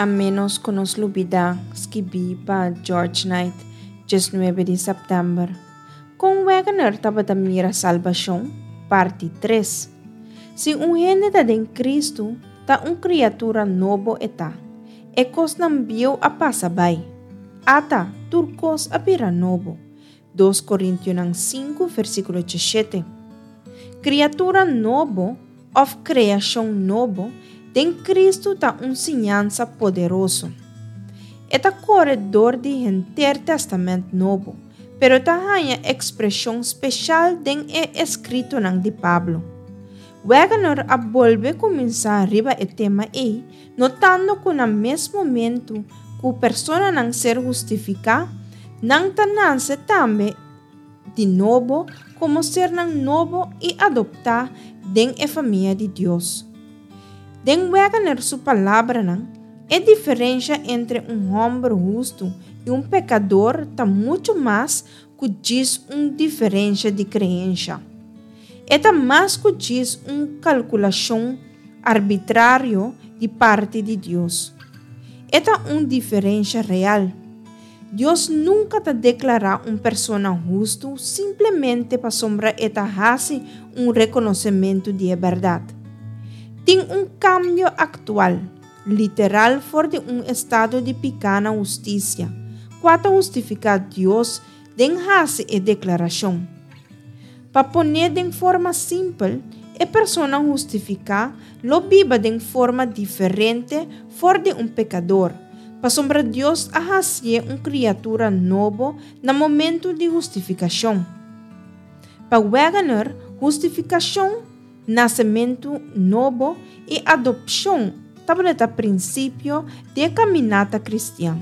A ménos ku nos lubidá, skibí pa George Knight, 19 di sèptèmber. Kon Wegener tabata mira salbashon? Parti tres. Si un hende ta den Kristu, ta un kriatura nobo e ta. E kosnan bieu a pasa bai. Ata, tur kos a bira nobo. Dos Korintionan sinku, versíkulo djeshete. Kriatura nobo, òf kreashon nobo, den Kristu ta un siñansa poderoso. E ta kore dor di henter Tèstamènt Nobo, pero ta haña ekspreshon speshal den e eskritonan di Pablo. Wegener a bolbe kuminsá riba e tema ei, notando ku na mes momentu ku personanan ser hustifiká, nan ta nase tambe di nobo komo sernan nobo i adoptá den e famia di Dios. Den Wegener su palabranan, e diferensha entre un hòmber hustu i un pekador ta muchu mas ku djis un diferensha di kreensha. E ta mas ku djis un kalkulashon arbitrario di parti di Dios. E ta un diferensha real. Dios nunka ta deklará un persona hustu simplemente pasobra e ta hasi un rekonosementu di e bèrdat. Tin un kambio aktual, literal for di un estado di piká na hustisia, kua ta hustifiká Dios den hasi e deklarashon. Pa pon'é den forma simpel, e persona hustifiká lo biba den forma diferente for di un pekador, pasobra Dios a hasié un kriatura nobo na momentu di hustifikashon. Pa Wegener, hustifikashon, nasementu nobo i adopshon tabata prinsipio di e kaminata kristian.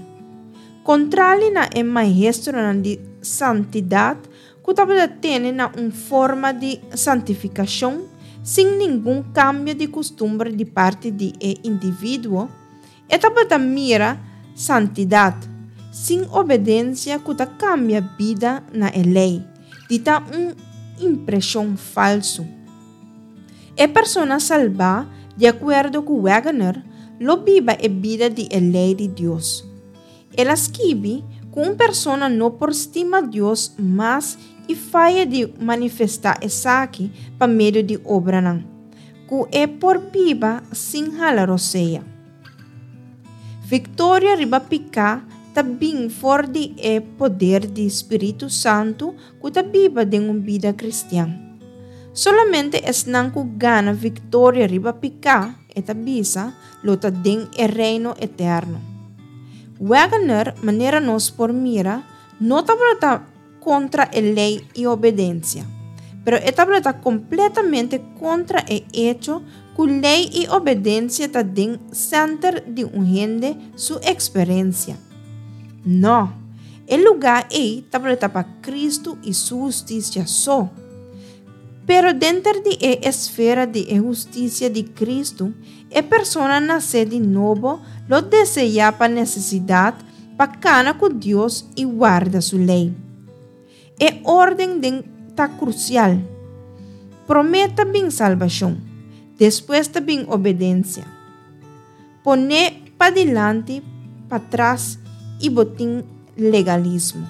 Kontrali na e maestronan di santidat ku tabata tene na un forma di santifikashon sin ningun kambio di kustumber di parti di e individuo, e tabata mira santidat, sin obedensia ku ta kambia bida na e lei, di ta un impreshon falsu. E persona salbá, di akuerdo ku Wegener, lo biba e bida di e lei di Dios. El a skibi ku un persona no por stima Dios mas i faya di manifestá esaki pa medio di obranan, ku e por biba sin hala rosea. Viktoria riba piká ta bin for di e poder di spiritu santu ku ta biba den un bida kristian. Solamente esnan ku gana viktoria riba piká, e ta bisa, lo ta den e Reino eterno. Wegener, manera nos por mira, no tabata kontra e lei i obedensia, pero e tabata kompletamente kontra e echo ku lei i obedensia ta den sènter di un hende su eksperensia. Nò, e lugá ei tabata pa Kristu i su hustisia so. Pero denter di e esfera di e hustisia di Kristu, E persona nasé di nobo lo deseá pa nesesidat pa kana ku Dios i warda su lei. E órden den ta krusial. Promé ta bin salbashon, despues ta bin obedensia. Poné padilanti patras i bo tin legalismo.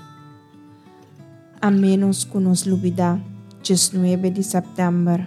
A ménos ku nos lubidá 19 di sèptèmber.